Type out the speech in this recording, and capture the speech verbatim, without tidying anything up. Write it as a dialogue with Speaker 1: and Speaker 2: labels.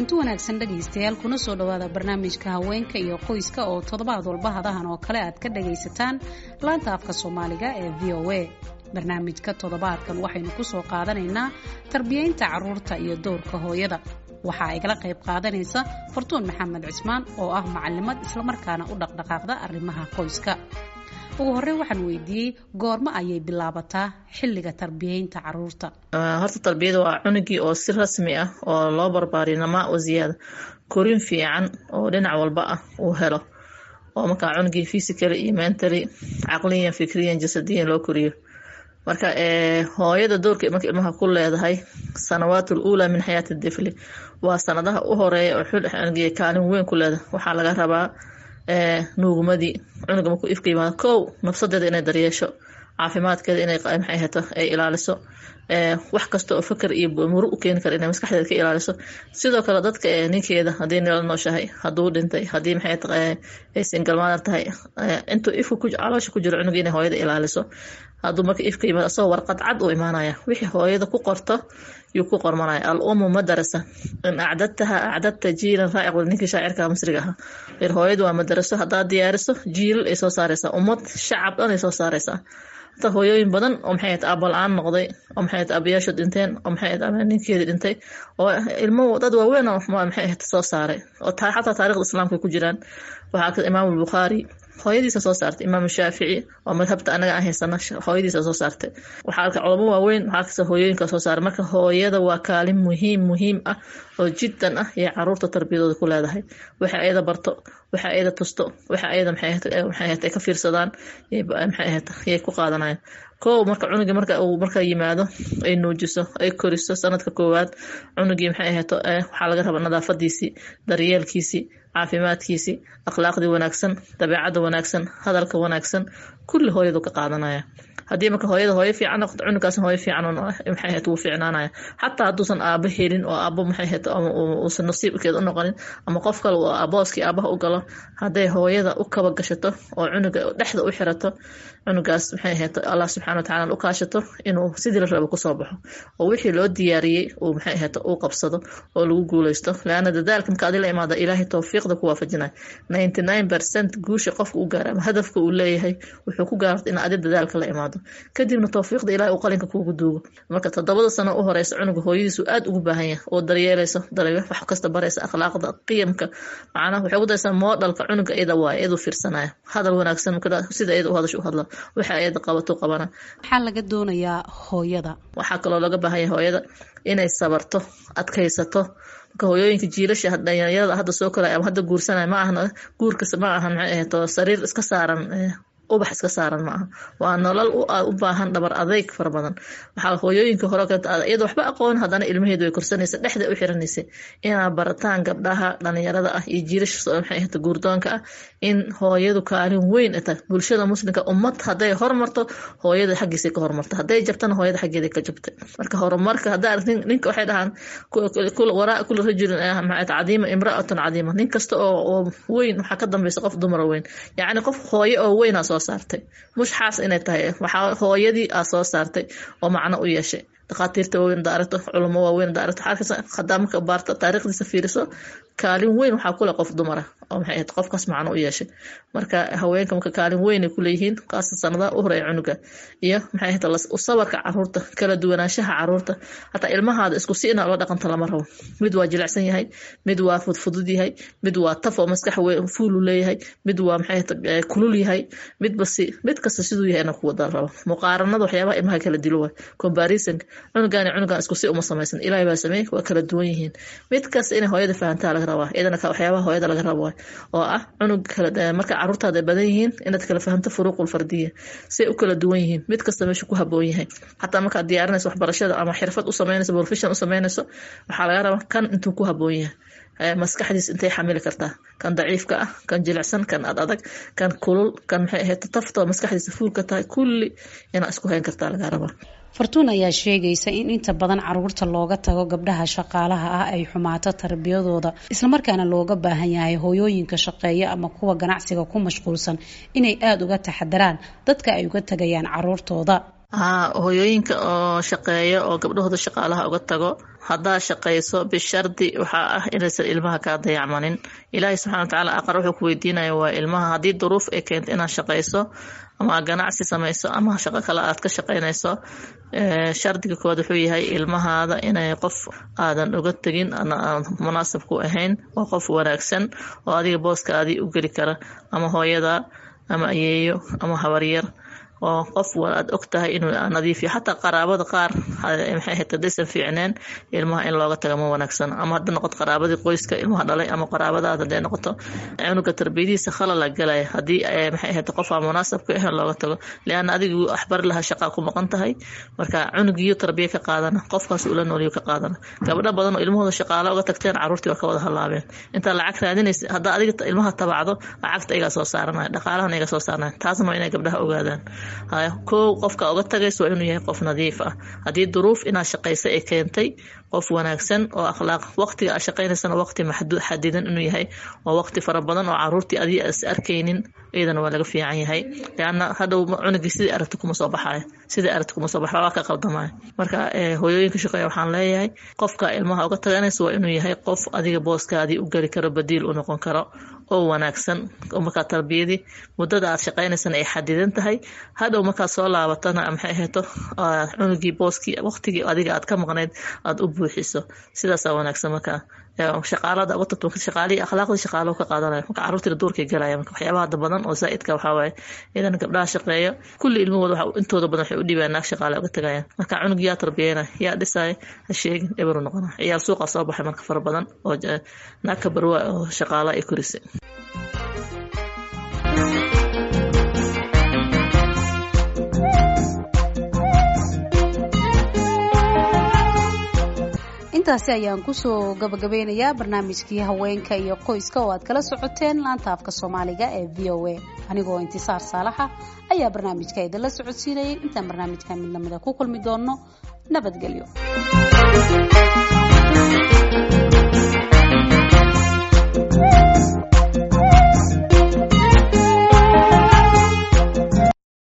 Speaker 1: Kulanti wanaagsan dhegaystayaal, kuna soo dhawaada barnaamijka haweenka iyo qoyska oo toddobaad walba hadahan oo kale aad ka dhagaysataan laanta afka Soomaaliga ee V O A. Barnaamijka toddobaadkan waxaynu kusoo qaadanaynaa tarbiyeynta caruurta iyo doorka hooyada. Waxaa igala qayb qaadanaysa Fartuun Maxamed Cismaan oo ah macalimad islamarkaana u dhaqdhaqaaqda arrimaha qoyska. Ugu horreyn waxaan weydiiyey goormo ayay bilaabataa xilliga tarbiyeynta caruurta?
Speaker 2: Horta tarbiyada waa cunugii oo si rasmi ah oo loo barbaariyo, namaa oo ziyaada, korin fiican oo dhinac walba ah uu helo, oo markaa cunugii physically iyo mentally, caqliyan, fikriyan, jasadiyan loo koriyo. Marka hooyada doorka marka ilmaha ku leedahay sanawaat uulaa min xayaati difli waa sanadaha u horeeya oo xul cunugii kaalin weyn ku leedahay. Waxaa laga rabaa nuugmadii cunuga markuu ifka yimaado, kow, nafsadeeda inay daryeesho, caafimaadkeeda inay, maxay hato, ay ilaaliso, wax kasta oo fakar iyo muru u keeni kara inay maskaxdeeda ka ilaaliso. Sidoo kale dadka ninkeeda, haddii nala nooshahay, hadduu dhintay, haddii, maxay, ay single mother tahay, intuu ifka caloosha ku jiro cunuga inay hooyada ilaaliso. Hadduu marka ifka yimaado, asagoo warqad cad uu imaanaya, wixii hooyada ku qorto yuu ku qormanaya. الأم مدرسة إن أعددتها أعددت جيلا رائق. Ninkii shaacirka Masriga ahaa yar, hooyadu waa madaraso, haddaad diyaariso jiilal ay soo saaraysaa, ummad, shacab dhan ay soo saaraysaa. Hata hooyooyin badan oo, maxay ahayd, aabba la-aan noqday, oo, maxay ahayd, aabayaashu dhinteen, oo, maxay ahayd, ninkeedii dhintay, oo ilmo dad waaweyn oo, maxay ahayd, soo saaray, oo xataa taarikhda Islaamka ku jiraan. Waxaa ka Imaam Bukhaari hooyadiisa soo saartay, Imaam Shaafici oo madhabta anaga aan haysana hooyadiisa soo saartay. Waxaa arka culamo waaweyn, waxaa kasta hooyooyinka soo saaray. Marka hooyada waa kaalin muhiim muhiim ah oo jiddan ah iyo caruurta tarbiyadooda ku leedahay. Waxa ayada barto, waxa ayada tusto, waxa ayada, maxay ahayd, ay ka fiirsadaan, maxay ahayd, yay ku qaadanayaan. Kow, marka cunugii marka uu marka yimaado, ay nuujiso, ay koriso sanadka koowaad, cunugii, maxay ahayd, waxaa laga rabaa nadaafadiisii, daryeelkiisii, caafimaadkiisii, akhlaaqdii wanaagsan, dabeecadda wanaagsan, hadalka wanaagsan, kulli hooyadu ka qaadanaya. Haddii marka hooyada hooyo fiican noqoto, cunugaasna hooyo fiican, maxay ahayd, wuu fiicnaanaya. Xataa hadduusan aabo helin oo aabo, maxay ahayd, uusan nasiibkeeda u noqonin ama qof kale uu booskii aabaha u galo, hadday hooyada u kaba gashato oo cunuga dhexda u xirato, cunugaas, maxay ahayd, Allah subxaana watacaala u kaashato inuu sidii la rabo kusoo baxo oo wixii loo diyaariyey uu, maxay ahayd, uu qabsado oo lagu guuleysto. Laana dadaalka marka adi la imaada, Ilaahay towfiiqda ku waafajinaya. Ninety nine percent guusha qofka u gaara ama hadafka uu leeyahay wuxuu ku gaarta in adi dadaalka la imaado, kadibna towfiiqda Ilahay uu qalinka kuugu duugo. Marka toddobada sano u horeysa cunuga hooyadiisu aad ugu baahan yahay oo daryeelayso, wax kasta baraysa, akhlaaqda, qiyamka, macnaha waxay ugu daysaa modelka cunuga iyada waaye, iyadu fiirsanaya, hadal wanaagsan sida iyada u hadasho u hadla, waxa iyada qabato qabana.
Speaker 1: Maxaa laga doonayaa hooyada?
Speaker 2: Waxaa kaloo laga baahan yahay hooyada inay sabarto, adkaysato. Marka hooyooyinka jiilasha dhalinyarada hadda soo koraya ama hadda guursanaya, ma ahna guurkas, ma ahan, maxay ahayd, sariir iska saaran, ubax iska saaran ma aha. Waa nolol u baahan dhabar adeyg fara badan. Waxaa hooyooyinka hore iyada waxba aqoon, haddana ilmaheedu way korsanaysa, dhexda u xiranaysay. Inaa barataan gabdhaha dhalinyarada ah iyo jiilasha, maxay ahayd, guurdoonka ah, in hooyadu kaalin weyn tahay bulshada Muslimka. Ummad hadday hormarto, hooyada xaggiisay ka hormarto; hadday jabtana, hooyada xaggeeda ka jabtay. Marka horumarka haddaa aragtin ninka, waxay dhahaan وراء كل رجل عظيم امرأة عظيمة. Nin kasta oo weyn waxaa ka dambeysa qof dumara weyn, yacni qof hooyo oo weyn aa soo saartay, mush xaas inay tahay, waxaa hooyadii aa soo saartay oo macno u yeeshay. Dhakhaatiirta waaweyn haddaa aragto, culamo waaweyn haddaa aragto, waxaa hadaa marka baarto, taariikhdiisa fiiriso, kaalin weyn waxaa kule qof dumara oo, maxay ahayd, qofkaas macno u yeeshay. Marka haweenka marka kaalin weyn ay kuleeyihiin, qaasatan sanadaha u horeeya cunuga iyo, maxay ahayd, sabarka caruurta, kala duwanaanshaha caruurta. Hataa ilmahaada isku si inaa ula dhaqanto lama rabo. Mid waa jilicsan yahay, mid waa fudfudud yahay, mid waa taf oo maskax fuulu leeyahay, mid waa, maxay ahayd, kulul yahay, midba si, mid kasta siduu yahay inaa ku wada rabo. Muqaaranada waxyaabaha ilmaha kala dilo waay, comparison. Cunugan cunugan isku si uma samaysan, Ilaahay baa sameeyey, waa kala duwan yihiin. Mid kasta inay hooyada fahantaa laga rabaa. Iyadana waxyaabaha hooyada laga rabo oo ah cunug kala, marka caruurtaada badan yihiin, inaad kala fahamto فروق الفردية, say u kala duwan yihiin, mid kasta meesha ku haboon yahay. Xataa markaad diyaarinayso waxbarashada ama xirfad u sameynayso, profession u sameynayso, waxaa laga rabaa kan intuu ku haboon yahay, maskaxdiis intay xamili kartaa, kan daciifka ah, kan jilicsan, kan ad adag, kan kulul, kan, maxay ahayd, tafta maskaxdiisa fuulka tahay, kulli inaa isku hayn kartaa laga rabaa.
Speaker 1: Fartuun ayaa sheegaysa in inta badan caruurta looga tago gabdhaha shaqaalaha ah ay xumaato tarbiyadooda, islamarkaana looga baahan yahay hooyooyinka shaqeeya ama kuwa ganacsiga ku mashquulsan inay aada uga taxadaraan dadka ay uga tagayaan caruurtooda.
Speaker 2: Haa, hooyooyinka oo shaqeeya oo gabdhahooda shaqaalaha uga tago, haddaa shaqayso bishardi waxaa ah inaysan ilmaha kaa dayacmanin. Ilaahay subxana watacaala aqar wuxuu ku weydiinaya waa ilmaha. Haddii duruuf ay keento inaad shaqayso ama ganacsi samayso ama shaqo kale aad ka shaqaynayso, shardiga koowaad wuxuu yahay ilmahaada inay qof aadan uga tegin aan munaasab ku ahayn, waa qof wanaagsan oo adiga booskaadii u geli kara, ama hooyada ama ayeeyo ama habaryar, oo qof aad og tahay inuu nadiifiyo. Xataa qaraabada qaar maxay ahayd haddaysan fiicneen, ilmaha in looga taga ma wanaagsan. Ama hadda noqoto qaraabadii qoyska ilmaha dhalay ama qaraabadaada hadday noqoto, cunuga tarbiyadiisa khalala galaya haddii maxay ahayd qof aan munaasab ku ahayn looga tago, lianna adigu waxbari lahaa shaqaa ku maqan tahay. Marka cunugiyo tarbiya ka qaadana qofkaas ula nooliyo ka qaadana. Gabdho badan oo ilmahooda shaqaala uga tagteen, caruurtii waa ka wada halaabeen. Intaa lacag raadinaysa, haddaa adiga ilmaha tabacdo, lacagta igaa soo saaranaya, dhaqaalahan iga soo saaranaya. Taasna waa inay gabdhaha ogaadaan. Kow, qofka uga tagaysa waa inuu yahay qof nadiif ah. Haddii duruuf inaad shaqaysa ay keentay, qof wanaagsan oo akhlaaq, waqtiga aad shaqaynaysana waqti maxduud xadidan inuu yahay, oo waqti fara badan oo caruurtii adii is arkaynin iyadana waa laga fiican yahay, lianna hadhow cunugii sidii aragti kuma soo baxayo, sidii aragti kuma soo baxayo, waa ka qaldamaya. Marka hooyooyinka shaqeeya waxaan leeyahay, qofka ilmaha uga taganaysa waa inuu yahay qof adiga booskaadii u geli karo, badiil u noqon karo oo wanaagsan, oo markaa tarbiyadii muddada aad shaqaynaysana ay xadidan tahay. Hadhow markaad soo laabatana maxay ahayto cunugii booskii waqtigii adiga aad ka maqnayd aad u buuxiso, sidaasaa wanaagsan. Markaa shaqaalada uga tagto, shaqaalihii akhlaaqdii shaqaalahu ka qaadanaya, marka carruurtiina duurkay galaya. Marka waxyaabaha hadda badan oo zaa'idka waxaa waaye idan gabdhaha shaqeeya kulli ilmahooda waxa intooda badan waxay u dhibayaan naag shaqaale uga tagayaan. Marka cunug yaa tarbiyeyna, yaa dhisaya, ha sheegin, eberu noqona. Ciyaal suuqa soo baxay marka fara badan oo naag ka barwa oo shaqaala ay korisay.
Speaker 1: Intaasi ayaan kusoo gabagabeynayaa barnaamijkii haweenka iyo qoyska oo aad kala socoteen laanta afka Soomaaliga ee V O A. Anigoo Intisaar Saalaxa ayaa barnaamijka idinla socodsiinayay. Intaan barnaamijka mid lamida ku kulmi doono, nabadgelyo.